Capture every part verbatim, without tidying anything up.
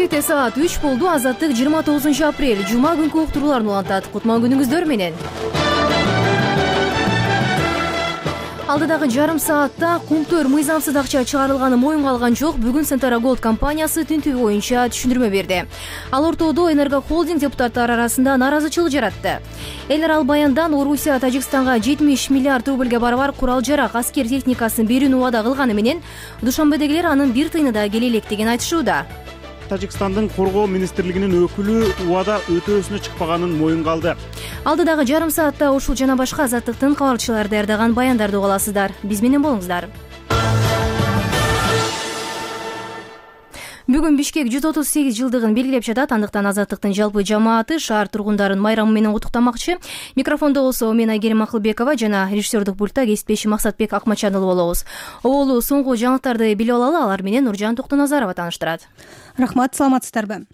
Бишкекте саат үч болду. Азаттык жыйырма тогузунчу апрель жума күнкү уктурууларын улантат. Кутман күнүңүздөр менен. Алдыдагы жарым саатта Кумтөр мыйзамсыз акча чыгарылганы моюнга алган жок. Бүгүн Сентара Голд компаниясы тинтүү боюнча түшүндүрмө берди. Ал ортодо Энерго холдинг депутаттары арасында нааразычылык жаратты. Элер ал баяндан Орусия Тажикстанга жетимиш миллиард рубльге барабар курал-жарак, аскер техникасын берүүнү убада кылганы менен Душанбедегилер анын бир тыйыны да келе электигин айтышууда. Тажикстандын коргоо министрлигинин өкүлү убада өтөөсүнө чыкпаганын моюнга алды. Алдыдагы жарым саатта ушул жана башка азаттыктын кабарчылары даярдаган баяндарды уга аласыздар. Биз менен болуңуздар. Бүгүн Бишкек жүз отуз сегиз жылдыгын белгилеп жатат. Андыктан азаттыктын жалпы жамааты шаар тургундарын майрамы менен куттуктамакчы. Микрофондо болсо мен Айгерим Акылбекова жана режиссердук пультта кесиптешим Максатбек Акмачанұлы болобуз. Оболу соңку жаңылыктарды билип алалы, алар менен Нуржан Токтоназарова тааныштырат. Рахмат, саламатсыздарбы?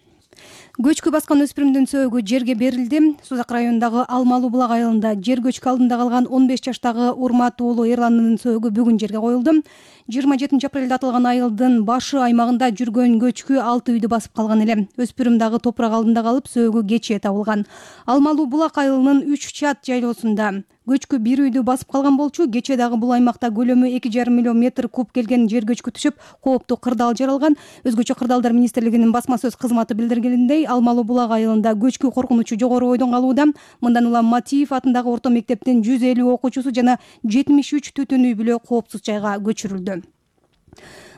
Көчкү баскан өспүрүмдүн сөөгү жерге берилди. Сузак районундагы Алмалуу булак айылында жер көчкү алдында калган он беш жаштагы Урмат уулу Эрландын сөөгү бүгүн жерге коюлду. жыйырма жетинчи апрелде атылган айылдын башы аймагында жүргөн көчкү алты үйдү басып калган эле. Өспүрүм дагы топурак алдында калып, сөөгү кечээ табылган. Алмалуу булак айылынын үч чат жайлоосунда көчкү бир үйдү басып калган болчу. Кечээ дагы бул аймакта көлөмү эки жарым миллион метр куб келген жер көчкү түшүп, кооптуу кырдаал жаралган. Өзгөчө Кырдаалдар министрлигинин басма сөз кызматы билдиргенинде, Алмалуу булак айылында көчкү коркунучу жогору бойдон калууда. Мындан улам Матиев атындагы орто мектептин жүз элүү окуучусу жана жетимиш үч түтүн үй бүлө коопсуз жайга көчүрүлдү.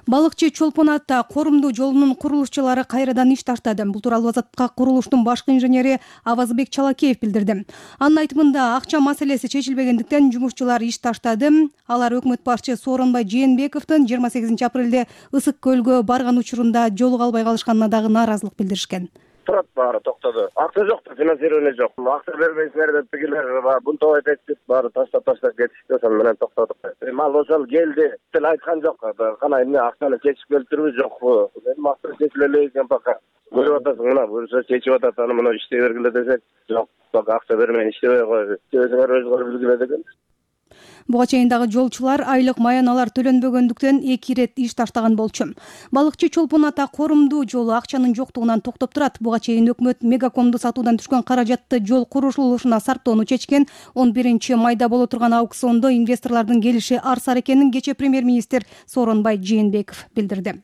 Балыкчы Чолпон ата Корумдуу жолунун курулушчулары кайрадан иш таштады. Бул тууралуу Азаттыкка курулуштун башкы инженери Авазбек Чалакеев билдирди. Анын айтымында акча маселеси чечилбегендиктен жумушчулар иш таштады. Алар өкмөт башчы Сооронбай Жээнбековдун жыйырма сегизинчи апрелде Ысык көлгө барган учурунда жолуга албай калышканына дагы нааразылык билдиришкен. Турат баары токтоду. Акча жок, финансирование жок. Акча бербейсиңер деп тигилер бунтоо этет деп баары таштап таштап кетишти. Ошон менен токтодук. Мал ошол келди. Тил айткан жок. Кана эмне акчаны чечип келтирби жокпу? Мен максат чечиле элек экен пока. Көрүп атасың, мына буюрса чечип атат, аны мына иштей бергиле десек, жок. Пока акча бермей иштебей койду. Өзүңөр өзүңөр билгиле деген. Буга чейин дагы жолчулар айлык маяналар төлөнбөгөндүктөн эки ирет иш таштаган болчу. Балыкчы Чолпон ата Корумдуу жолу акчанын жоктугунан токтоп турат. Буга чейин өкмөт Мегакомду сатуудан түшкөн каражатты жол курулушуна сарптоону чечкен. он биринчи майда боло турган аукциондо инвесторлордун келиши арсар экенин кечээ премьер-министр Сооронбай Жээнбеков билдирди.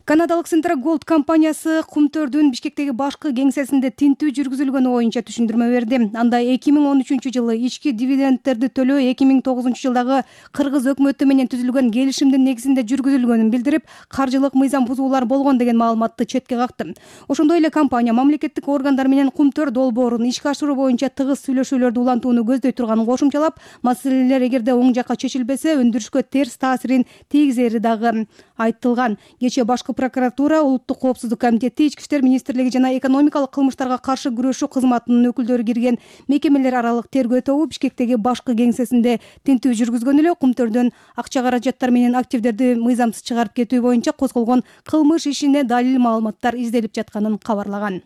Канадалык Сентара Голд компаниясы Кумтөрдүн Бишкектеги башкы кеңсесинде тинтүү жүргүзүлгөнү боюнча түшүндүрмө берди. Анда эки миң он үчүнчү жылы ички дивидендтерди төлөө эки миң тогузунчу жылдагы Кыргыз өкмөтү менен түзүлгөн келишимдин негизинде жүргүзүлгөнүн билдирип, каржылык мыйзам бузуулар болгон деген маалыматты четке какты. Ошондой эле компания мамлекеттик органдар менен Кумтөр долбоорун ишке ашыруу боюнча тыгыз сүйлөшүүлөрдү улантууну көздөй турганын кошумчалап, маселелер эгерде оң жакка чечилбесе, өндүрүшкө терс таасирин тийгизери дагы айтылган. Кечээ башкы прокуратура, Улуттук коопсуздук комитети, Ички иштер министрлиги жана экономикалык кылмыштарга каршы күрөшүү кызматынын өкүлдөрү кирген мекемелер аралык тергөө тобу Бишкектеги башкы кеңсесинде тинтүү жүргүзгөн эле. Кумтөрдөн акча каражаттар менен активдерди мыйзамсыз чыгарып кетүү боюнча козголгон кылмыш ишине далил маалыматтар изделип жатканын кабарлаган.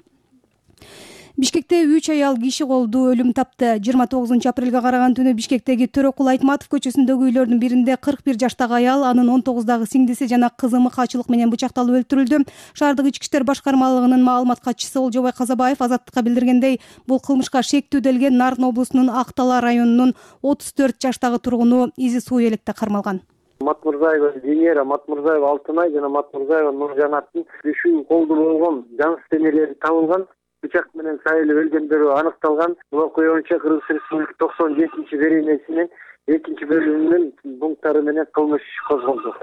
Бишкекте үч аял киши колду өлүм тапты. жыйырма тогузунчу апрелге караган түнү Бишкектеги Төрөкул Айтматов көчөсүндөгү үйлөрдүн биринде кырк бир жаштагы аял, анын он тогуздагы сиңдиси жана кызы мыкаачылык менен бычакталып өлтүрүлдү. Шаардык ички иштер башкармалыгынын маалымат катчысы Олжобай Казабаев Азаттыкка билдиргендей, бул кылмышка шектүү делген Нарын облусунун Актала районунун отуз төрт жаштагы тургуну Изи Суу Электе кармалган. Матмурзаева Венера, Матмурзаева Алтынай жана Матмурзаева Нуржанаттын үшү колду болгон жан денелери табылган. Бычак менен сайылып өлгөндөрү аныкталган. Бул окуя боюнча Кыргыз Республикасы токсон жетинчи беренесинин экинчи бөлүмүнүн пункттары менен кылмыш козголду.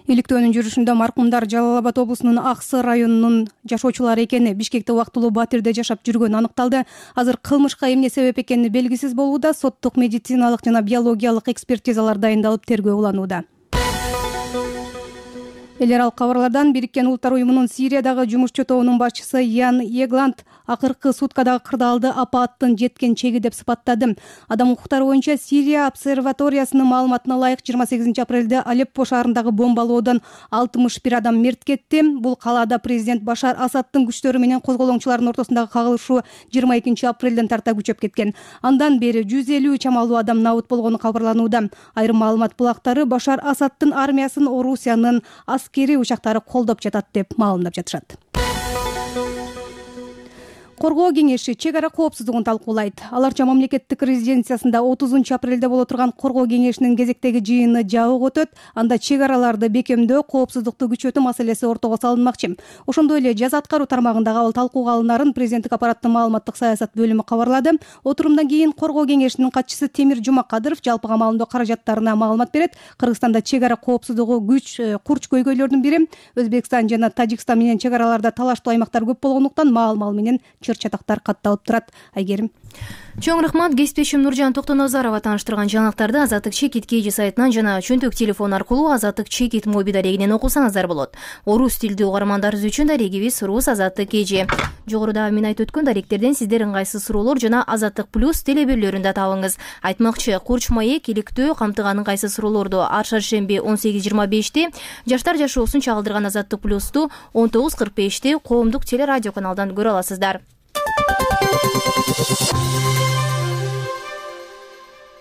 Иликтөөнүн жүрүшүндө маркумдар Жалал Абад облусунун Аксы районунун жашоочулары экени, Бишкекте убактылуу батирде жашап жүргөнү аныкталды. Азыр кылмышка эмне себеп экени белгисиз болууда. Соттук медициналык жана биологиялык экспертизалар дайындалып, тергөө уланууда. Элер ал кабарлардан Бириккен Улуттар уюмунун Сириядагы жумушчу тобунун башчысы Ян Егланд акыркы суткадагы кырдаалды апааттын жеткен чеги деп сыпаттады. Адам укуктары боюнча Сирия обсерваториясынын маалыматына ылайык жыйырма сегизинчи апрелде Алеппо шаарындагы бомбалоодон алтымыш бир адам мерт кетти. Бул калаада президент Башар Асадтын күчтөрү менен козголоңчулардын ортосундагы кагылышуу жыйырма экинчи апрелден тарта күчөп кеткен. Андан бери жүз элүү чамалуу адам набыт болгону кабарланууда. Айрым маалымат булактары Башар Асадтын армиясын Орусиянын аскери учактары колдоп жатат деп маалымдап жатышат. Коргоо кеңеши чек ара коопсуздугун талкуулайт. Аларча мамлекеттик резиденциясында отузунчу апрелде боло турган Коргоо кеңешинин кезектеги жыйыны жабык өтөт. Анда чек араларды бекемдөө, коопсуздукту күчөтүү маселеси ортого салынмакчы. Ошондой эле жаза аткаруу тармагында кабыл талкууга алынарын президенттик аппараттын маалыматтык саясат бөлүмү кабарлады. Отурумдан кийин Коргоо кеңешинин катчысы Темир Жумакадыров жалпыга маалымдоо каражаттарына маалымат берет. Кыргызстанда чек ара коопсуздугу күч курч көйгөйлөрдүн бири. Өзбекстан жана Тажикстан менен чек араларда талаштуу аймактар көп болгондуктан маал-мал менен чыр-чатактар катталып турат. Айгерим. Чоң рахмат. Кесиптешим Нуржан Токтоназарова тааныштырган жаңылыктарды Азаттык Чекит Кж сайтынан жана чөнтөк телефон аркылуу Азаттык Чекит моби дарегинен окусаңыздар болот. Орус тилдүү угармандарыбыз үчүн дарегибиз Рус Азаттык Кж. Жогоруда мен айтып өткөн даректерден сиздер ыңгайсыз суроолор жана Азаттык плюс телеберлөрүндө табыңыз. Айтмакчы, Курч маек иликтөө камтыган ыңгайсыз суроолорду ар шаршемби он сегиз жыйырма беште, жаштар жашоосун чагылдырган Азаттык плюсту он тогуз кырк беште коомдук телерадио каналдан көрө аласыздар.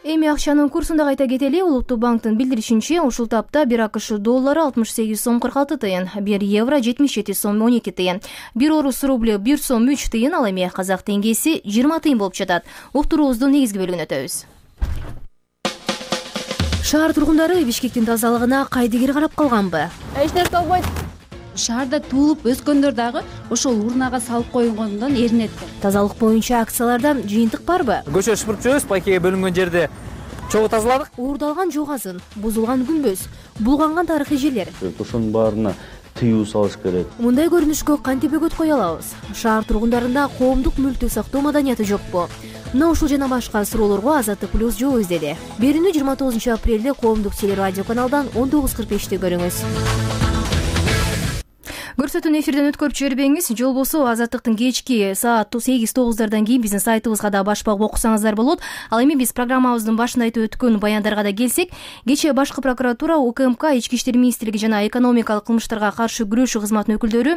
Эми акчанын курсун да кайта кетели. Улуттук банктын билдиришинче, ушул тапта бир АКШ доллары алтымыш сегиз сом кырк алты тыйын, бир евро жетимиш жети сом он эки тыйын, бир орус рубль бир сом үч тыйын, ал эми казак теңгеси жыйырма тыйын болуп жатат. Уктуруубуздун негизги бөлүгүнө өтөбүз. Шаар тургундары Бишкектин тазалыгына кайдыгер карап калганбы? Эч нерсе болбойт. Шаарда туулуп өскөндөр дагы ошол урнага салып койгондон эринет. Тазалык боюнча акцияларда жыйынтык барбы? Көчө шыпырып жүрөбүз, пайкеге бөлүнгөн жерде чогуу тазаладык. Уурдалган жок азын, бузулган күмбөз, булганган тарыхый жерлер. Ошонун баарына тыюу салыш керек. Мындай көрүнүшкө кантип өгөт кое алабыз? Шаар тургундарында коомдук мүлктү сактоо маданияты жокпу? Мына ушул жана башка суроолорго Азаттык плюс жооп издеди. Берүүнү жыйырма тогузунчу апрелде коомдук телерадио каналдан он тогуз кырк беште көрүңүз. Көрсөтүүнү эфирден өткөрүп жибербеңиз. Жол болсо Азаттыктын кечки саат сегиз тогуздардан кийин биздин сайтыбызга да баш багып окусаңыздар болот. Ал эми биз программабыздын башында айтып өткөн баяндарга да келсек, кечээ башкы прокуратура, УКМК, Ички иштер министрлиги жана экономикалык кылмыштарга каршы күрөшүү кызматынын өкүлдөрү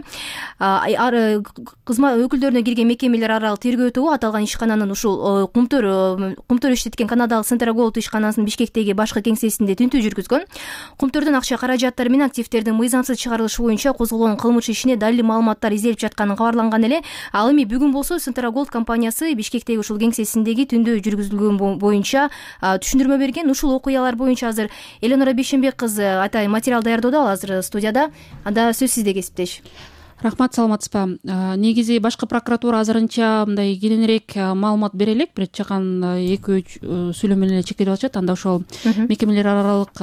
кызмат өкүлдөрүнө кирген мекемелер аралык тергөө тобу аталган ишкананын ушул кумтөр кумтөр иштеткен Канадалык Центра Голд ишканасынын Бишкектеги башкы кеңсесинде тинтүү жүргүзгөн. Кумтөрдөн акча каражаттары менен активдердин мыйзамсыз чыгарылышы боюнча козголгон кылмыш ишине далил маалыматтар изделип жатканын кабарланган эле. Ал эми бүгүн болсо Центра Голд компаниясы Бишкектеги ушул кеңсесиндеги түндө жүргүзүлгөн боюнча түшүндүрмө берген. Ушул окуялар боюнча азыр Эленора Бейшенбек кызы атайын материал даярдоодо, ал азыр студияда. Анда сөз сизде, кесиптеш. Рахмат, саламатсызбы? Негизи башкы прокуратура азырынча мындай кененирээк маалымат бере элек, бир чакан эки үч сүйлөм менен эле чектелип атышат. Анда ошол мекемелер аралык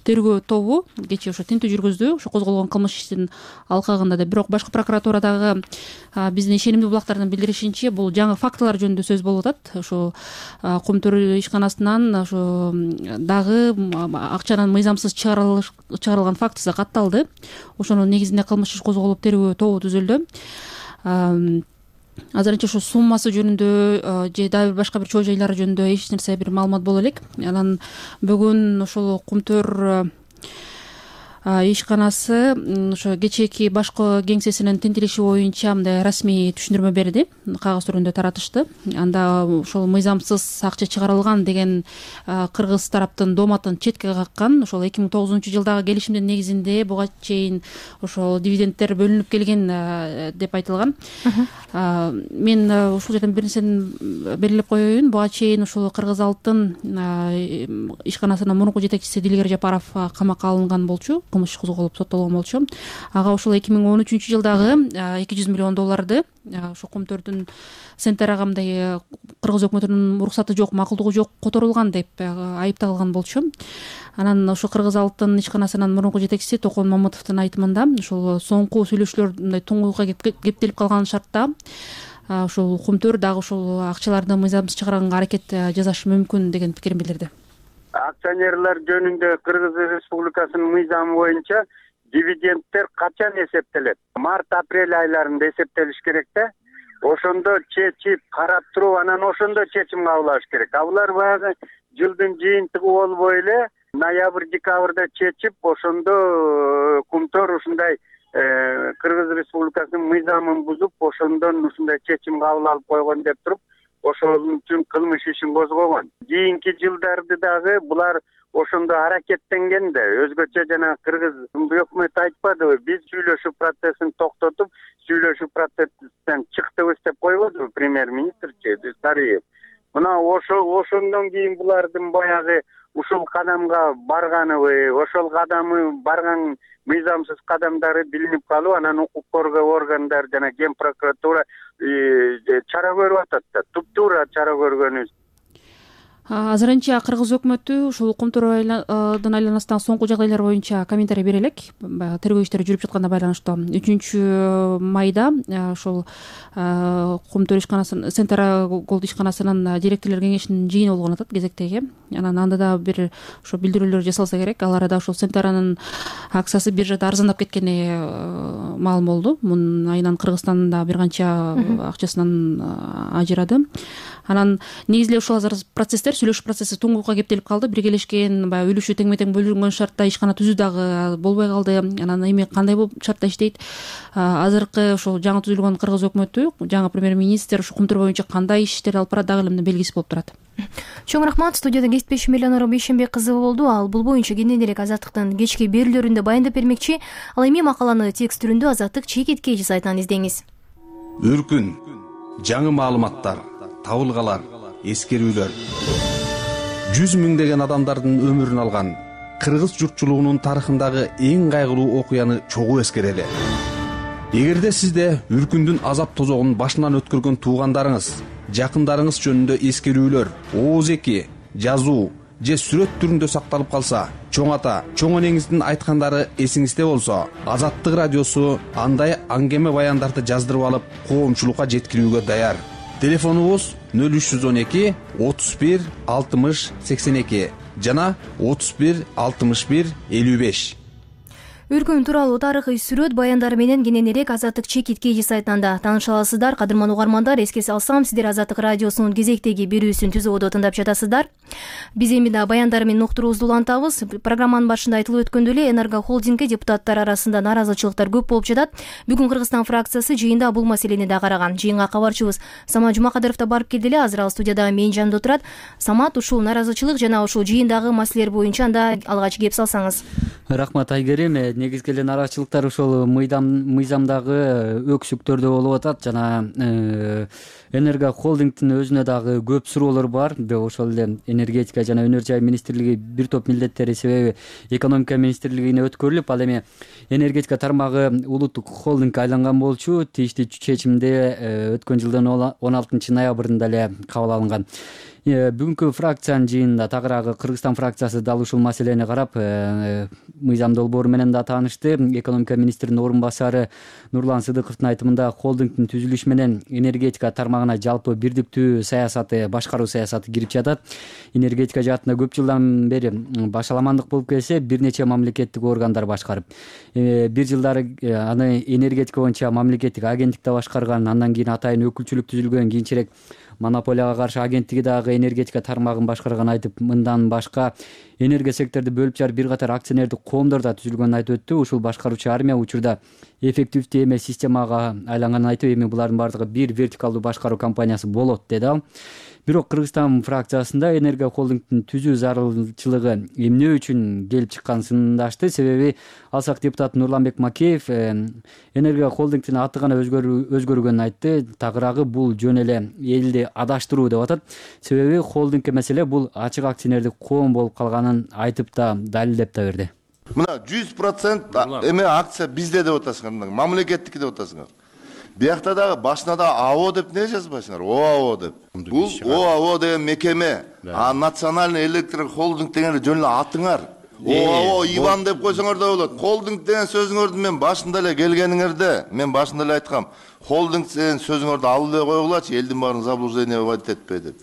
тергөө тобу кечээ ошо тинтүү жүргүздү, ошо козголгон кылмыш иштин алкагында да. Бирок башкы прокуратурадагы биздин ишенимдүү булактардын билдиришинче, бул жаңы фактылар жөнүндө сөз болуп атат. Ошо кумтөр ишканасынан ошо дагы акчанын мыйзамсыз чыгарылган фактысы катталды. Ошонун негизинде кылмыш иш козголуп тергөө тобу түзүлдү. Азырынча ошо суммасы жөнүндө же дагы башка бир чоо жайлары жөнүндө эч нерсе бир маалымат боло элек. Анан бүгүн ошол кумтөр ишканасы ошо кечээки башкы кеңсесинин тинтилиши боюнча мындай расмий түшүндүрмө берди, кагаз түрүндө таратышты. Анда ошол мыйзамсыз акча чыгарылган деген кыргыз тараптын дооматын четке каккан. Ошол эки миң тогузунчу жылдагы келишимдин негизинде буга чейин ошол дивидендтер бөлүнүп келген деп айтылган. Мен ушул жерден бир нерсени белгилеп коеюн. Буга чейин ушул Кыргыз Алтын ишканасынын мурунку жетекчиси Дилгер Жапаров камакка алынган болчу, кылмыш иш козголуп соттолгон болчу. Ага ошол эки миң он үчүнчү жылдагы эки жүз миллион долларды ошо кумтөрдүн Центрага мындай кыргыз өкмөтүнүн уруксаты жок, макулдугу жок которулган деп айыпталган болчу. Анан ошо Кыргыз Алтын ишканасынын мурунку жетекчиси Токон Мамытовдун айтымында ошол соңку сүйлөшүүлөр мындай туңгуюлга кептелип калган шартта ошол кумтөр дагы ошол акчаларды мыйзамсыз чыгарганга аракет жасашы мүмкүн деген пикирин билдирди. Акционерлер жөнүндө Кыргыз Республикасынын мыйзамы боюнча дивидендтер качан эсептелет? Март-апрель айларында эсептелиш керек да. Ошондо чечип карап туруп, анан ошондо чечим кабыл алыш керек. Алар баягы жылдын жыйынтыгы болбой эле ноябрь-декабрда чечип, ошондо кумтөр ушундай Кыргыз Республикасынын мыйзамын бузуп, ошондон ушундай чечим кабыл алып койгон деп туруп, ошол үчүн кылмыш ишин козгогон. Кийинки жылдарды дагы булар ошондо аракеттенген да. Өзгөчө жана Кыргыз өкмөт айтпадыбы, биз сүйлөшүү процессин токтотуп, сүйлөшүү процесстен чыктыбыз деп койбодубу премьер-министрчи Сариев. Мына ошо ошондон кийин булардын баягы ушул кадамга барганыбы, ошол кадамы барган мыйзамсыз кадамдары билинип калып, анан укук коргоо органдары жана Ген прокуратура чара көрүп атат да, туптуура чара көргөнүбүз. Азырынча кыргыз өкмөтү ушул Кумтурдун айланасындагы соңку жагдайлар боюнча комментарий бере элек. Тергөө иштери жүрүп жатканына байланыштуу үчүнчү майда ушул Кумтур ишканасынын Центра Голд ишканасынын директорлор кеңешинин жыйыны болгон атат кезектеги. Анан анда да бир ошо билдирүүлөр жасалса керек. Ал арада ушул Центранын акциясы биржада арзандап кеткени маалым болду. Мунун айынан Кыргызстан да бир канча акчасынан ажырады. Анан негизинен ушул азыр процесстер, сүйлөшүү процесси туңгукка кептелип калды. Биргелешкен баягы үлүшү тең-метең бөлүнгөн шартта ишкана түзүү дагы болбой калды. Анан эми кандай болуп шартта иштейт? Азыркы ушул жаңы түзүлгөн кыргыз өкмөтү, жаңы премьер-министр ушу Кумтур боюнча кандай иштер алып барат дагы эле белгисиз болуп турат. Чоң рахмат. Студияда кесиптешим Элеонора Бейшенбек кызы болду. Ал бул боюнча кенен элек Азаттыктын кечки берүүлөрүндө баяндап бермекчи. Ал эми макаланы текст түрүндө Азаттык чекиткей сайтынан издеңиз. Үркүн, жаңы маалыматтар, табылгалар, эскерүүлөр. Жүз миңдеген адамдардын өмүрүн алган кыргыз журтчулугунун тарыхындагы эң кайгылуу окуяны чогуу эскерели. Эгерде сизде Үркүндүн азап тозогун башынан өткөргөн туугандарыңыз, жакындарыңыз жөнүндө эскерүүлөр, ооз-эки, жазуу же сүрөт түрүндө сакталып калса, чоң ата, чоң энеңиздин айткандары эсиңизде болсо, Азаттык радиосу андай аңгеме баяндарды жаздырып алып, коомчулукка жеткирүүгө даяр. Телефонубуз нөл үч жүз он эки отуз бир алтымыш сексен эки жана отуз бир алтымыш бир элүү беш. Үркүн тууралуу тарыхый сүрөт баяндары менен кенен элек Азаттык чекиткей сайтында тааныша аласыздар. Кадырман угармандар, эске салсам, сиздер Азаттык радиосунун кезектеги берүүсүн түзүүдө тыңдап жатасыздар. Биз эми да баяндары менен уктуруубузду улантабыз. Программанын башында айтылып өткөндөй эле Энерго холдингге депутаттар арасында нааразычылыктар көп болуп жатат. Бүгүн Кыргызстан фракциясы жыйында бул маселени да караган. Жыйынга кабарчыбыз Самат Жумакадыров да барып келди эле. Азыр ал студияда менин жанымда отурат. Самат, ушул нааразычылык жана ушул жыйындагы маселелер боюнча анда алгач кеп салсаңыз. Рахмат Айгерим. Негизги эле нааразычылыктар ушул мыйзамдагы өксүктөрдө болуп атат жана Энерго холдингдин өзүнө дагы көп суроолор бар. Ошол эле энергетика жана өнөр жай министрлиги бир топ милдеттери себеби экономика министрлигине өткөрүлүп, ал эми энергетика тармагы улуттук холдингге айланган болчу. Тийиштүү чечимде өткөн жылдын он алтынчы ноябрында эле кабыл алынган. Бүгүнкү фракциянын жыйынында тагыраагы Кыргызстан фракциясы дал ушул маселени карап, мыйзам долбоору менен да таанышты. Экономика министринин орун басары Нурлан Сыдыковдун айтымында холдингдин түзүлүшү менен энергетика тармагына жалпы бирдиктүү саясаты, башкаруу саясаты кирип жатат. Энергетика жаатында көп жылдан бери башаламандык болуп келсе, бир нече мамлекеттик органдар башкарып, бир жылдары аны энергетика боюнча мамлекеттик агенттикте башкарган, андан кийин атайын өкүлчүлүк түзүлгөн, кийинчерээк монополияга каршы агенттиги дагы энергетика тармагын башкарган айтып, мындан башка энергия секторду бөлүп жарып бир катар акционердик коомдор да түзүлгөнүн айтып өттү. Ушул башкаруучу армия учурда эффективдүү эмес системага айланганын айтып, эми булардын баардыгы бир вертикалдуу башкаруу компаниясы болот деди ал. Бирок Кыргызстан фракциясында Энерго холдингдин түзүү зарылчылыгы эмне үчүн келип чыкканын сындашты. Себеби алсак депутат Нурланбек Макеев Энерго холдингдин аты гана өзгөргөнүн айтты. Тагыраагы бул жөн эле элди адаштыруу деп атат. Себеби холдингке меселе бул ачык акционердик коом болуп калганын айтып да далилдеп да берди. Мына жүз процент эме акция бизде деп атасыңар, мамлекеттики деп атасыңар. Биякта дагы башына да АО деп не жазбайсыңар? ОАО деп. Бул ОАО деген мекеме, а национальный электр холдинг деген жөн эле атыңар. ОАО Иван деп койсоңор да болот. Холдинг деген сөзүңөрдү мен башында эле келгениңерде, мен башында эле айткам. Холдинг деген сөзүңөрдү алып эле койгулачы, элдин баарын заблуждение вводить этпей деп.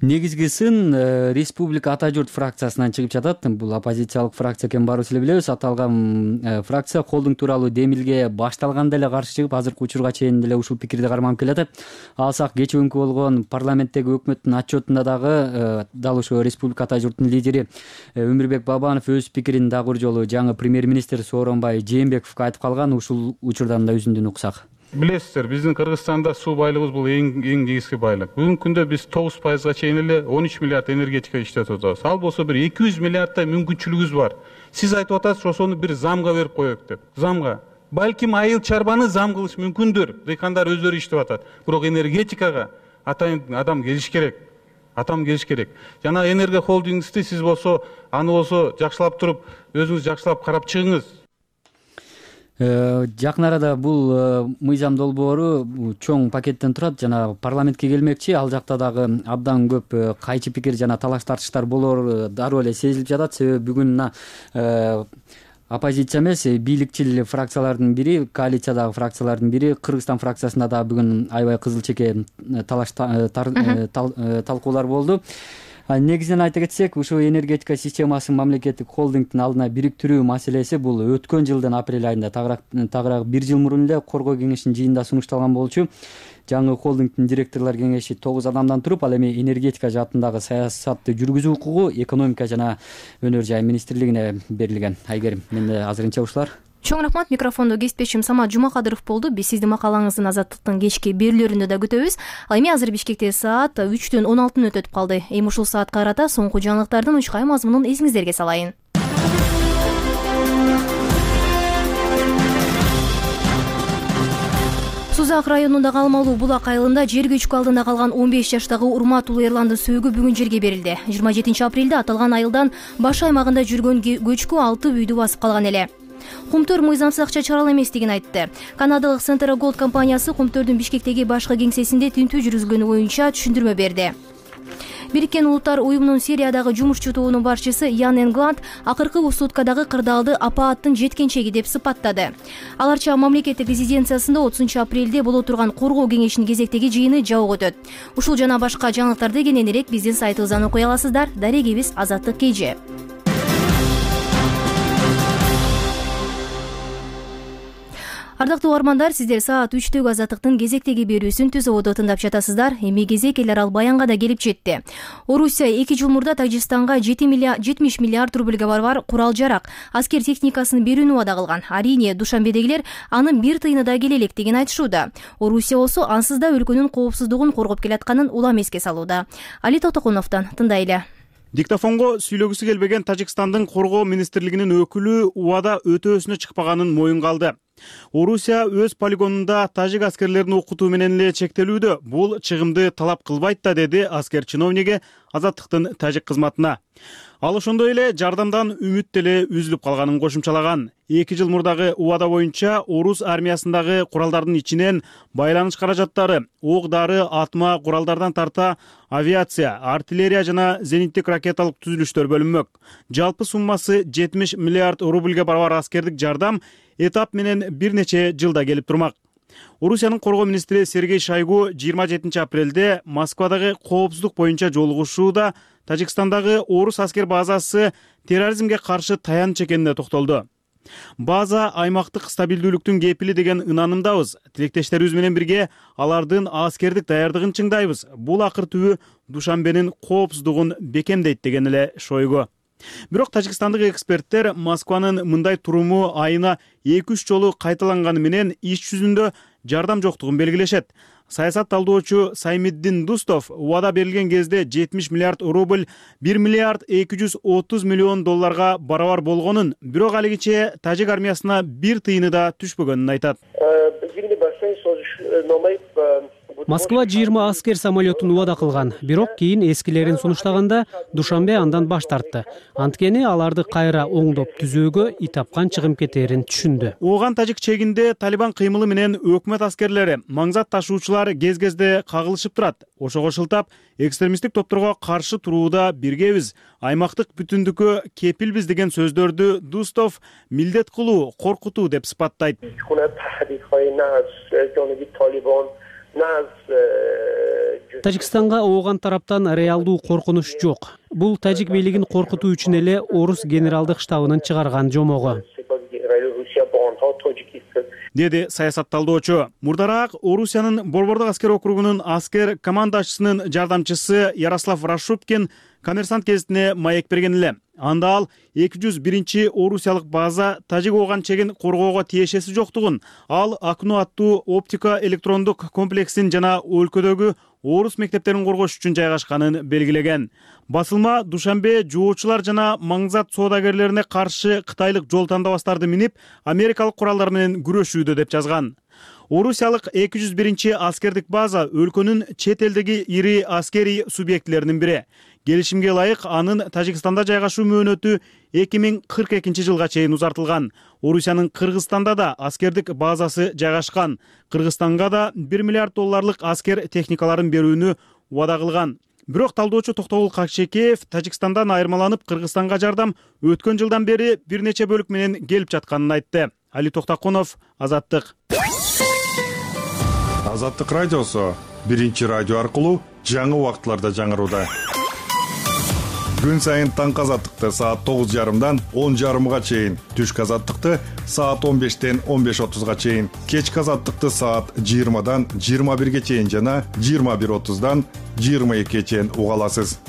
Негизги сын Республика Ата журт фракциясынан чыгып жатат. Бул оппозициялык фракция экенин баарыбыз эле билебиз. Аталган фракция холдинг тууралуу демилге башталганда эле каршы чыгып, азыркы учурга чейин деле ушул пикирди карманып келатат. Алсак кечээ күнкү болгон парламенттеги өкмөттүн отчетунда дагы дал ушул Республика Ата журттун лидери Өмүрбек Бабанов өз пикирин дагы бир жолу жаңы премьер-министр Сооронбай Жээнбековго айтып калган. Ушул учурдан да үзүндүн уксак. Билесиздер, биздин Кыргызстанда суу байлыгыбыз бул эң эң негизги байлык. Бүгүнкү күндө биз тогуз пайызга чейин эле он үч миллиард энергетика иштетип атабыз. Ал болсо бир эки жүз миллиардтай мүмкүнчүлүгүбүз бар. Сиз айтып атасыз, ошону бир замга берип коелук деп. Замга. балким айыл чарбаны зам кылыш мүмкүндүр. Дыйкандар өздөрү иштеп атат. Бирок энергетикага атайын адам келиш керек. Атам келиш керек. Жана энерго холдингти сиз болсо, аны болсо жакшылап туруп, өзүңүз жакшылап карап чыгыңыз. Жакын арада бул мыйзам долбоору чоң пакеттен турат жана парламентке келмекчи. Ал жакта дагы абдан көп кайчы пикир жана талаш тартыштар болор дароо эле сезилип жатат. Себеби бүгүн мына оппозиция эмес, бийликчил фракциялардын бири, коалициядагы фракциялардын бири, Кыргызстан фракциясында да бүгүн аябай кызыл чеке талаш талкуулар болду. Негизинен айта кетсек, ушул энергетика системасын мамлекеттик холдингдин алдына бириктирүү маселеси бул өткөн жылдын апрель айында тагыраак бир жыл мурун эле Коргоо кеңешинин жыйынында сунушталган болчу. Жаңы холдингдин директорлор кеңеши тогуз адамдан туруп, ал эми энергетика жаатындагы саясатты жүргүзүү укугу экономика жана өнөр жай министрлигине берилген. Айгерим, менде азырынча ушулар. Чоң рахмат. Микрофондо кесиптешим Самат Жумакадыров болду. Биз сиздин макалаңыздын Азаттыктын кечки берүүлөрүндө да күтөбүз. Ал эми азыр Бишкекте саат үчтөн он алты мүнөт өтүп калды. Эми ушул саатка карата соңку жаңылыктардын учкай мазмунун эсиңиздерге салайын. Сузак районундагы Алмалуу Булак айылында жер көчкү алдында калган он беш жаштагы Урмат уулу Эрландын сөөгү бүгүн жерге берилди. жыйырма жетинчи апрелде аталган айылдан баш аймагында жүргөн көчкү алты үйдү басып калган эле. Кумтөр мыйзамсыз акча чыгара эместигин айтты. Канадалык Centera Gold компаниясы Кумтөрдүн Бишкектеги башкы кеңсесинде тинтүү жүргүзүлгөнү боюнча түшүндүрмө берди. Бириккен Улуттар уюмунун Сириядагы жумушчу тобунун башчысы Ян Энгланд акыркы суткадагы кырдаалды апааттын жеткенчеги деп сыпаттады. Аларча мамлекеттик резиденциясында отузунчу апрелде боло турган Коргоо кеңешинин кезектеги жыйыны жабык өтөт. Ушул жана башка жаңылыктарды кененирээк биздин сайтыбыздан окуй аласыздар. Дарегибиз Азаттык Кж. Ардактуу угармандар, сиздер саат үчтөгү Азаттыктын кезектеги берүүсүн түз ободо тыңдап жатасыздар. Эми кезек эле арал Баянга да келип жетти. Орусия эки жыл мурда Тажикстанга жетимиш миллиард рубльга барабар курал-жарак, аскер техникасын берүүнү убада кылган. Арине Душанбедегилер анын бир тыйыны да келе электигин айтышууда. Орусия болсо ансыз да өлкөнүн коопсуздугун коргоп келатканын улам эске салууда. Али Тотокуновдон тыңдайлы. Диктофонго сүйлөгүсү келбеген Тажикстандын Коргоо министрлигинин өкүлү убада өтөөсүнө чыкпаганын моюнга алды. Орусия өз полигонунда тажик аскерлерин окутуу менен эле чектелүүдө. Бул чыгымды талап кылбайт да, деди аскер чиновниги Азаттыктын тажик кызматына. Ал ошондой эле жардамдан үмүт деле үзүлүп калганын кошумчалаган. эки жыл мурдагы убада боюнча орус армиясындагы куралдардын ичинен байланыш каражаттары, ок-дары, атма куралдардан тарта авиация, артиллерия жана зениттик ракеталык түзүлүштөр бөлүнмөк. Жалпы суммасы жетимиш миллиард рубльге барабар аскердик жардам этап менен бир нече жылда келип турмак. Орусиянын коргоо министри Сергей Шойгу жыйырма жетинчи апрелде Москвадагы коопсуздук боюнча жолугушууда Тажикстандагы орус аскер базасы терроризмге каршы таяныч экенине токтолду. База аймактык стабилдүүлүктүн кепили деген ынанымдабыз. Тилектештерибиз менен бирге алардын аскердик даярдыгын чыңдайбыз. Бул акыр түбү Душанбенин коопсуздугун бекемдейт деген эле Шойгу. Бирок тажикстандык эксперттер Москванын мындай туруму айына эки үч жолу кайталанганы менен иш жүзүндө жардам жоктугун белгилешет. Саясат талдоочу Саймиддин Дустов убада берилген кезде жетимиш миллиард рубль бир миллиард эки жүз отуз миллион долларга барабар болгонун, бирок алигиче тажик армиясына бир тыйыны да түшпөгөнүн айтат. Москва жыйырма аскер самолетун убада кылган, бирок кийин эскилерин сунуштаганда Душанбе андан баш тартты. Анткени аларды кайра оңдоп түзөөгө ий тапкан чыгым кетээрин түшүндү. Ооган тажик чегинде Талибан кыймылы менен өкмөт аскерлери, маңзат ташуучулар кез-кезде кагылышып турат. Ошого шылтап, экстремисттик топторго каршы турууда биргебиз, аймактык бүтүндүккө кепилбиз деген сөздөрдү Дустов милдет кылуу, коркутуу деп сыпаттайт. Тажикстанга ооган тараптан реалдуу коркунуч жок. Бул тажик бийлигин коркутуу үчүн эле орус генералдык штабынын чыгарган жомогу, деди саясат талдоочу. Мурдараак Орусиянын Борбордук аскер округунун аскер командачысынын жардамчысы Ярослав Рашупкин Коммерсант гезитине маек берген эле. Анда ал эки жүз биринчи орусиялык база тажик ооган чегин коргоого тиешеси жоктугун, ал Акну аттуу оптика электрондук комплексин жана өлкөдөгү орус мектептерин коргош үчүн жайгашканын белгилеген. Басылма Душанбе жоочулар жана маңзат соодагерлерине каршы кытайлык жол тандабастарды минип, америкалык куралдар менен күрөшүүдө деп жазган. Орусиялык эки жүз биринчи аскердик база өлкөнүн чет элдеги ири аскерий субъектилеринин бири. Келишимге ылайык анын Тажикстанда жайгашуу мөөнөтү эки миң кырк экинчи жылга чейин узартылган. Орусиянын Кыргызстанда да аскердик базасы жайгашкан. Кыргызстанга да бир миллиард долларлык аскер техникаларын берүүнү убада кылган. Бирок талдоочу Токтогул Какчекеев Тажикстандан айырмаланып Кыргызстанга жардам өткөн жылдан бери бир нече бөлүк менен келип жатканын айтты. Али Токтакунов, Азаттык. Азаттык радиосу биринчи радио аркылуу жаңы убактыларда жаңырууда. Күн сайын таңкы азаттыкты саат тогуз жарымдан он жарымга чейин, түшкү азаттыкты саат он бештен он беш отузга чейин, кечки азаттыкты саат жыйырмадан жыйырма бирге чейин жана жыйырма бир отуздан жыйырма экиге чейин уга аласыз.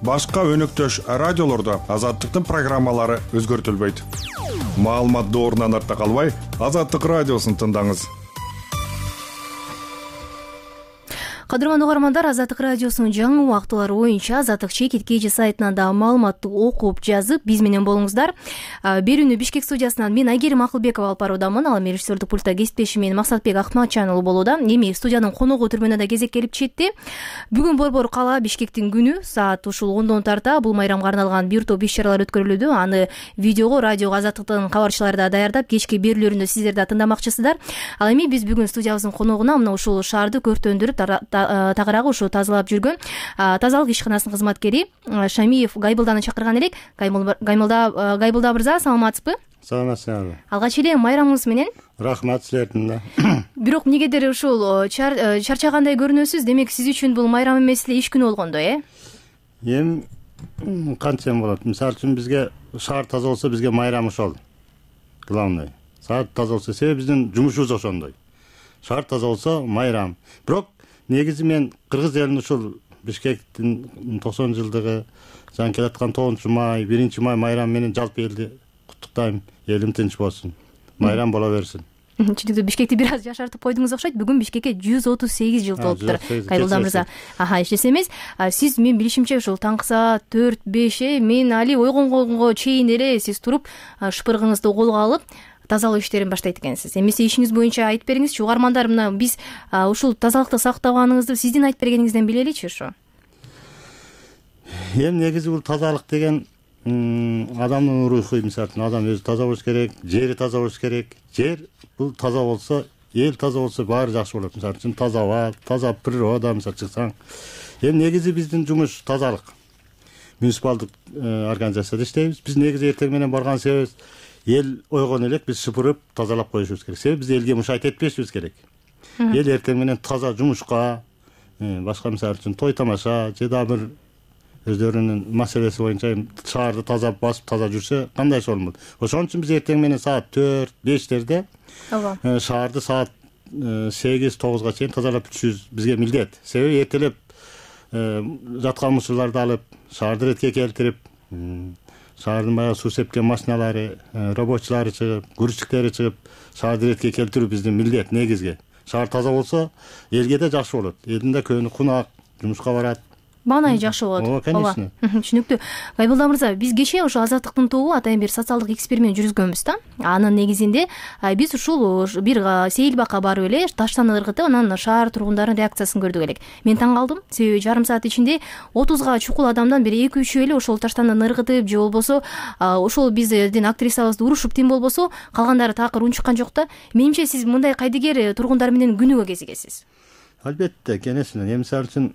Башка өнөктөш радиолордо азаттыктын программалары өзгөртүлбөйт. Маалымат доорунан артта калбай, Азаттык радиосун тыңдаңыз. Кадырман угармандар, Азаттык радиосунун жаңы убактылары боюнча Азаттык чекит кеже сайтынан да маалыматты окуп жазып биз менен болуңуздар. Берүүнү Бишкек студиясынан мен Айгерим Акылбекова алып баруудамын. Ал эми режиссердик пультта кесиптешим мен Максатбек Акматжан уулу болууда. Эми студиянын коногу түрмөнө да кезек келип жетти. Бүгүн Борбор кала Бишкектин күнү саат ушул ондон тарта бул майрамга арналган бир топ иш-чаралар өткөрүлүүдө. Аны видеого радиого Азаттыктын кабарчылары да даярдап, кечки берүүлөрүндө сиздер да тыңдамакчысыздар. Ал эми биз бүгүн студиябыздын коногуна мына ушул шаарды көртөндүрүп тагыраагы ушу тазалап жүргөн тазалык ишканасынын кызматкери Шамиев Гайбылданы чакырган элек. Гайбылда Гайбылда мырза, саламатсызбы? Саламатсызбы. Алгач эле майрамыңыз менен. Рахмат силердин да. Бирок эмнегедир ушул чарчагандай көрүнөсүз. Демек сиз үчүн бул майрам эмес эле иш күнү болгондой, э? Эми кантсем болот? Мисалы үчүн бизге шаар таза болсо бизге майрам ошол. Главный. Шаар таза болсо, себеби биздин жумушубуз ошондой. Шаар таза болсо майрам. Бирок негизи мен кыргыз элин ушул Бишкектин токсон жылдыгы, жаңы келаткан тогузунчу май, биринчи май майрам менен жалпы элди куттуктайм. Элим тынч болсун. Майрам боло берсин. Чындыгында Бишкекти бир аз жашартып койдуңуз окшойт. Бүгүн Бишкекке жүз отуз сегиз жыл толуптур. Гайбылда мырза. Аха, эчтесе эмес. Сиз мен билишимче ушул таңкы саат төрт беш мен али ойгонгонго чейин эле сиз туруп шпыргыңызды колго алып тазалоо иштерин баштайт экенсиз. Эмесе ишиңиз боюнча айтып бериңизчи. Угармандар мына биз ушул тазалыкты сактаганыңызды сиздин айтып бергениңизден билеличи ушу. Эми негизи бул тазалык деген адамдын руху, мисалы үчүн адам өзү таза болуш керек, жери таза болуш керек. Жер бул таза болсо, эл таза болсо баары жакшы болот. Мисалы үчүн таза аба, таза природа мисалы чыксаң. Эми негизи биздин жумуш тазалык. Муниципалдык организацияда иштейбиз. Биз негизи эртең менен барган себебибиз эл ойгон элек биз шыпырып тазалап коюшубуз керек. Себеби биз элге мушайт этпешибиз керек. Эл эртең менен таза жумушка, башка мисалы үчүн той тамаша же да бир өздөрүнүн маселеси боюнча шаарды таза басып таза жүрсө кандай болмок. Ошон үчүн биз эртең менен саат төрт бештерде шаарды саат сегиз тогузга чейин тазалап бүтүшүбүз бизге милдет. Себеби эртелеп жаткан мусурларды алып шаарды ретке келтирип, шаардын баягы суу сепкен машиналары, рабочилары чыгып, грузчиктери чыгып, шаарды ретке келтирүү биздин милдет негизги. Шаар таза болсо элге да жакшы болот. Элдин да көңүлү кунак, жумушка барат. Маанайы жакшы болот. Ооба, конечно. Түшүнүктүү. Гайбылда мырза, биз кечээ ошо Азаттыктын тобу атайын бир социалдык эксперимент жүргүзгөнбүз да. Анын негизинде биз ушул бир сейил бакка барып эле таштан ыргытып, анан шаар тургундарынын реакциясын көрдүк элек. Мен таң калдым. Себеби жарым саат ичинде отузга чукул адамдан бир эки үчөө эле ошол таштандан ыргытып же болбосо ошол биздин актрисабызды урушуп тим болбосо, калгандары такыр унчуккан жок да. Менимче сиз мындай кайдыгер тургундар менен күнүгө кезигесиз. Албетте, кенесине. Эми мисалы үчүн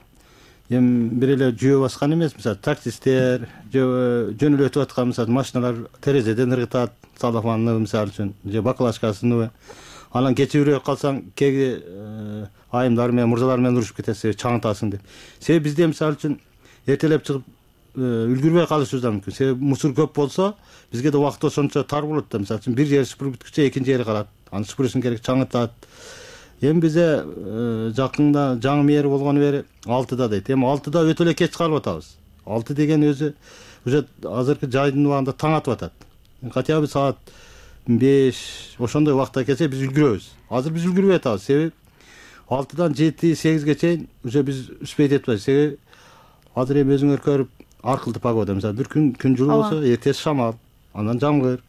эми бир эле жөө баскан эмес, мисалы таксисттер, жөнүлүп өтүп аткан мисалы машиналар терезеден ыргытат, салафанны мисалы үчүн, же баклажкасын. Анан кечирөөк калсаң, кеги айымдар менен, мурзалар менен урушуп кетесиз, чаңытасың деп. Себеби бизде мисалы үчүн эртелеп чыгып үлгүрбөй калышыбыз да мүмкүн. Себеби мусор көп болсо, бизге да убакыт ошончо тар болот да. Мисалы үчүн бир жери шыпырып бүткүчө экинчи жери калат. Аны шыпырышың керек, чаңытат. Эми бизе жакында жаңы мэр болгону бери алтыда дейт. Эми алтыда өтө эле кеч чыгарып атабыз. алты деген өзү уже азыркы жайдын убагында таң атып атат. Хотя бы саат беш ошондой убакытта келсе биз үлгүрөбүз. Азыр биз үлгүрбөй атабыз. Себеби алтыдан жети сегизге чейин уже биз успеть этип атабыз. Себеби азыр эми өзүңөр көрүп ар кылдуу погода. Мисалы бир күн күн жылуу болсо, эртеси шамал, анан жамгыр,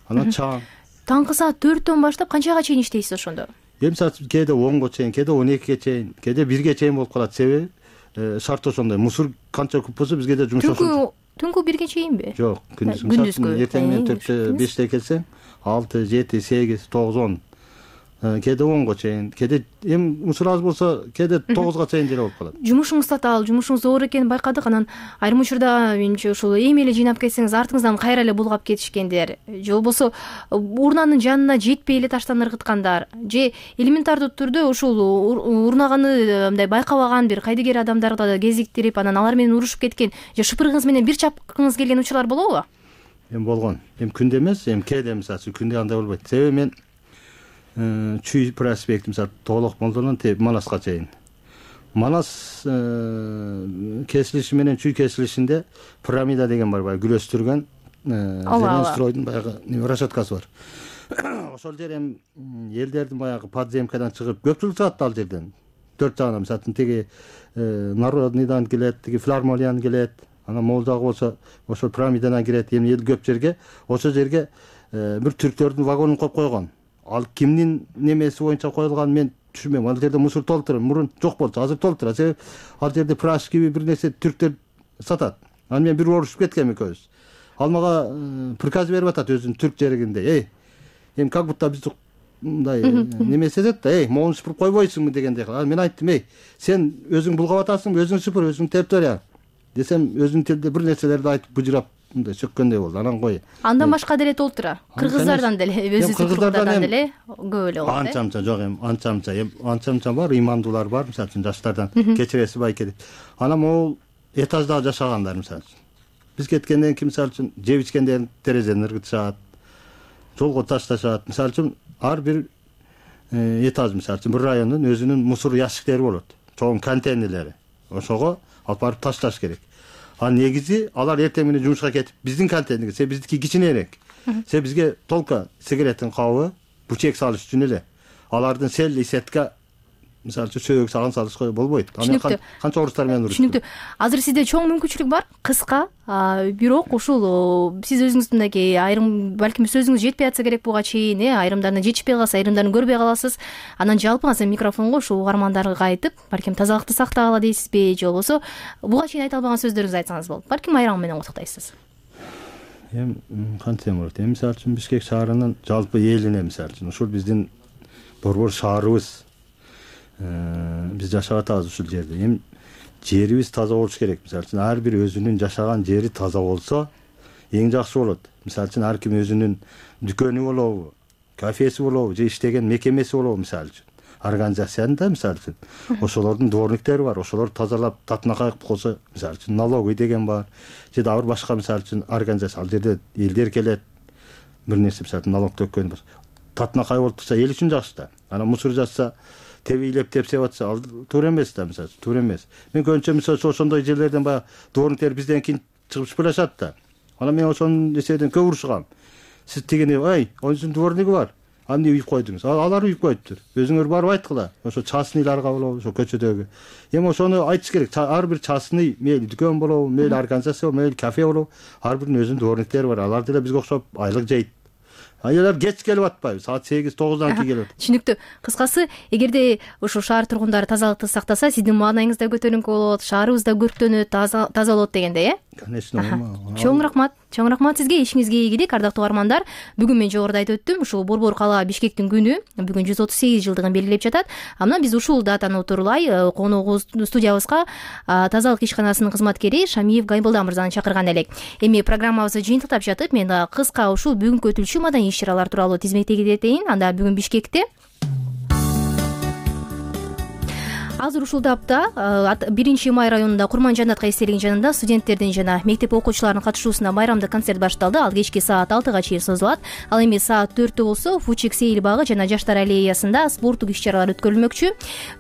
анан чаң. Таңкы саат төрттөн баштап канчага чейин иштейсиз ошондо? Эми мисалы кээде онго чейин, кээде он экиге чейин, кээде бирге чейин болуп калат. Себеби шарт ошондой. Мусор канча көп болсо бизге да жумуш ошончо. Түнкү бирге чейинби? Жок, күндүзгү. Эртең менен төрттө беште келсең, алты, жети, сегиз, тогуз, он. Кээде онго чейин, кээде эми мусор аз болсо, кээде тогузга чейин деле болуп калат. Жумушуңуз татаал, жумушуңуз оор экенин байкадык. Анан айрым учурда менимче ушул эми эле жыйнап кетсеңиз, артыңыздан кайра эле булгап кетишкендер, же болбосо урнанын жанына жетпей эле таштан ыргыткандар, же элементардуу түрдө ушул урнаганы мындай байкабаган бир кайдыгер адамдарды кезиктирип, анан алар менен урушуп кеткен, же шыпырыгыңыз менен бир чапкыңыз келген учурлар болобу? Эми болгон. Эми күндө эмес, эми кээде мисалы күндө андай болбойт. Себеби мен Чүй проспект мисалы толук Молдонон теп Манаска чейин. Манас кесилиши менен Чүй кесилишинде пирамида деген бар, баягы гүлөстүргөн зелен стройдун баягы расчеткасы бар. Ошол жер эми элдердин баягы подземкадан чыгып көпчүлүк чыгат ал жерден. Төрт жагынан мисалы тиги Народныйдан келет, тиги Филармониядан келет, анан могул жагы болсо ошол пирамидадан кирет. Эми эл көп жерге, ошол жерге бир түрктөрдүн вагонун коюп койгон. Ал кимдин немеси боюнча коюлган мен түшүнбөйм. Ал жерде мусор толтуруп, мурун жок болчу, азыр толтурат. Себеби ал жерде праш киби бир нерсе түрктөр сатат. Анан мен бир урушуп кеткем экөөбүз. Ал мага приказ берип атат өзүнүн түрк жеригинде. Эй, эми как будто бизди мындай немесе этет да, эй, могуну сыпырып койбойсуңбу дегендей. Анан мен айттым, эй, сен өзүң булгап атасыңбы, өзүң сыпыр, өзүң тептөр я. Десем өзүнүн тилде бир нерселерди айтып бужурап мындай чөккөндөй болду. Анан кой. Андан башка деле толтура. Кыргыздардан деле, өзү кыргыздардан деле көп эле болот. Анча-анча жок эми, анча-анча, эми анча-анча бар, имандуулар бар, мисалы үчүн жаштардан кечиреси байке деп. Анан могул этажда жашагандар мисалы үчүн. Биз кеткенден кийин мисалы үчүн жеп ичкендерин терезеден ыргытышат, жолго ташташат. Мисалы үчүн ар бир этаж мисалы үчүн бир райондун өзүнүн мусор ящиктери болот. Чоң контейнерлери. Ошого алып барып ташташ керек. А негизи алар эртең менен жумушка кетип биздин контейнерге, се биздики кичинерээк. Се бизге толка сигареттин кабы, бучек салыш үчүн эле. Алардын сел исетка мисалы үчүн сөөгө салган салышка болбойт. Аны канча орустар менен урушту. Түшүнүктүү. Азыр сизде чоң мүмкүнчүлүк бар, кыска, бирок ушул сиз өзүңүздүнки айрым балким сөзүңүз жетпей атса керек буга чейин, э, айрымдарына жетишпей калса, айрымдарын көрбөй каласыз. Анан жалпыңыздан микрофонго ушул угармандарга айтып, балким тазалыкты сактагыла дейсизби, же болбосо буга чейин айта албаган сөздөрүңүздү айтсаңыз болот. Балким айрам менен куттуктайсыз. Эми кантсем болот? Эми мисалы үчүн Бишкек шаарынын жалпы элине мисалы үчүн ушул биздин борбор шаарыбыз, биз жашап атабыз ушул жерде. Эми жерибиз таза болуш керек. Мисалы үчүн ар бир өзүнүн жашаган жери таза болсо, эң жакшы болот. Мисалы үчүн ар ким өзүнүн дүкөнү болобу, кафеси болобу, же иштеген мекемеси болобу мисалы үчүн. Организациянда мисалы үчүн ошолордун дворниктери бар, ошолор тазалап татынакай кылып койсо, мисалы үчүн налоговый деген бар, же дагы бир башка мисалы үчүн организация, ал жерде элдер келет, бир нерсе мисалы үчүн налог төккөн болсо, татынакай болуп турса эл үчүн жакшы да. Анан мусор жатса, тебийлеп тепсеп атса, ал туура эмес да, мисалы, туура эмес. Мен көбүнчө мисалы ошондой жерлерден баягы дворниктер бизден кийин чыгып шыпырашат да. Анан мен ошонун эсебинен көп урушкам. Сиз тигини, ай, онусунун дворниги бар. Аны үйүп койдуңуз. Алар үйүп коюптур. Өзүңөр барып айткыла. Ошо частныйларга болобу, ошо көчөдөгү. Эми ошону айтыш керек. Ар бир частный, мейли дүкөн болобу, мейли организация болобу, мейли кафе болобу, ар биринин өзүнүн дворниктери бар. Алар деле бизге окшоп айлык жейт. Аялар кеч келип атпайбы? Саат сегиз тогуздан кийин келет. Түшүнүктүү. Кыскасы, эгерде ушул шаар тургундары тазалыкты сактаса, сиздин маанайыңыз да көтөрүңкү болот, шаарыбыз да көрктөнөт, таза болот дегендей, э? Конечно. Чоң рахмат. Чоң рахмат сизге. Ишиңизге ийгилик, ардактуу угармандар. Бүгүн мен жогоруда айтып өттүм, ушул Борбор калаа Бишкектин күнү бүгүн жүз отуз сегиз жылдыгын белгилеп жатат. Анан биз ушул датаны утурлай коногубуз студиябызга тазалык ишканасынын кызматкери Шамиев Гайбылда мырзаны чакырган элек. Эми программабызды жыйынтыктап жатып, мен кыска ушул бүгүнкү өтүлчү маданий иш-чаралар тууралуу тизмектеги кетейин. Анда бүгүн Бишкекте азыр ушул тапта биринчи май районунда Курманжанат эстелигинин жанында студенттердин жана мектеп окуучуларынын катышуусунда майрамдык концерт башталды. Ал кечки саат алтыга чейин созулат. Ал эми саат төрттө болсо Фучик сейил багы жана Жаштар аллеясында спорттук иш-чаралар өткөрүлмөкчү.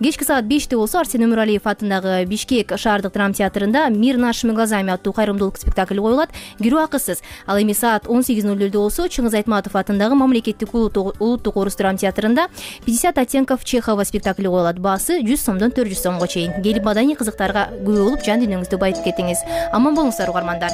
Кечки саат беште болсо Арсен Өмүралиев атындагы Бишкек шаардык драма театрында «Мир нашими глазами» аттуу кайрымдуулук спектакль коюлат. Кирүү акысыз. Ал эми саат он сегиз ноль нөлдө болсо Чыңгыз Айтматов атындагы Мамлекеттик улуттук орус драма театрында пятьдесят оттенков Чехова спектакли коюлат. Баасы жүз сомдон төрт жүз сомго чейин. Келип маданий кызыктарга күбө болуп жан дүйнөңүздү байытып кетиңиз. Аман болуңуздар угармандар.